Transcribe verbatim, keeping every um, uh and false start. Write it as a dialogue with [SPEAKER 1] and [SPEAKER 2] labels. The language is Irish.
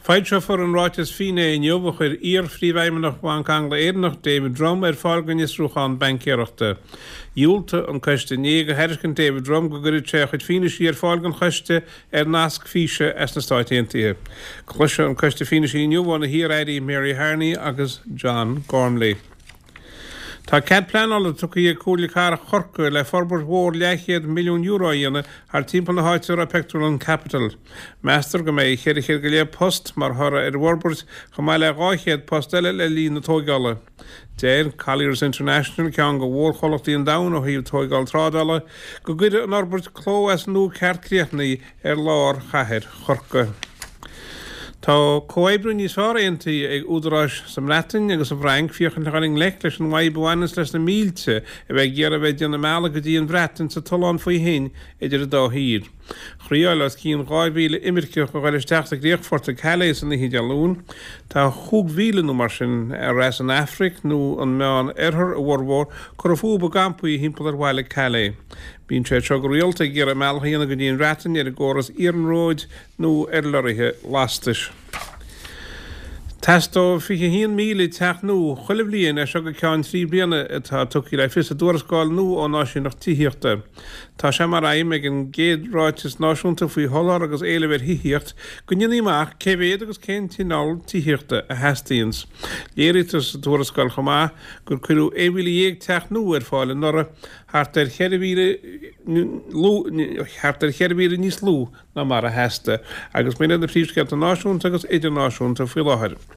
[SPEAKER 1] Foilseofar an ráiteas finné inniu a chuir iar-phríomhfheidhmeannach Bhanc Angla-Éireannach David Drumm ar fáil don fhiosrúchán baincéireachta. Dhiúltaigh an coiste inné do thairiscint David Drumm go gcuirfeadh sé a chuid fianaise ar fáil don choiste ar nasc físe as na Stáit Aontaithe. Cloisfidh an coiste fianaise inniu ó na hiar-airí Mary Harney agus John Gormley. Tá cead pleanála tugtha ag Comhairle Cathrach Chorcaí le forbairt mhór leathchéad milliún euro a dhéanamh thar timpeall na háite a raibh pictiúrlann Capital. Meastar go mbeidh ceithre chéad go leith post mar thoradh ar an bhforbairt chomh maith le dhá chéad post eile le linn na tógála. Deir Colliers International ceann de mhórchomhlachtaí an domhain ó thaobh tógáil trádála go gcuirfidh an fhorbairt cló as nua ceart críochnaithe ar lár chathair Chorcaí. Tá comhoibriú níos fearr aontaithe ag údaráis sa mBreatain agus sa bhFrainc féachaint le dhul i ngleic leis an bhfadhb a bhaineanns leis na mílte a bheith ag iarraidh a bheith ag déanamh a mbealaigh go dtí an Bhreatain sa tollán faoi thoinn idir an dá thír. Thriáil os cionn dhá mhíle imirceach a dhul isteach sa gcríochfort ag Calais san oíche Dé Luain. Tá chúig mhíle nó mar sin ar as an Afraic nó an Meán Oirthear a bhformhór curtha fúthu i gcampaí thimpeall ar bhaile Calais. Bíonn siad seo go rialta ag iarraidh a mbealach a dhéanamh go dtí an Bhreatain ar an gcóras iarnróid nó ar lorraithe lastais. Teastóidh fiche haon míle teach nua chuile bhliain as seo go ceann trí bliana atá tugtha le fios i dtuarascáil nua ón Áisíneacht Tithíochta. Tá sé mar aidhm ag an gcéad ráiteas náisiúnta faoi sholáthar agus éileamh ar thithíocht go ndéanfaí amach cé mhéad agus cén cineál tithíochta a theastaíonn. Léirítear sa tuarascáil chomh maith gur cuireadh aon mhíle dhéag teach nua ar fáil anuraidh, thart ar cheithre mhíle thart ar cheithre mhíle níos lú ná mar a theastaigh, agus b'in iad na príomhscéalta náisiúnta agus idirnáisiúnta faoi láthair.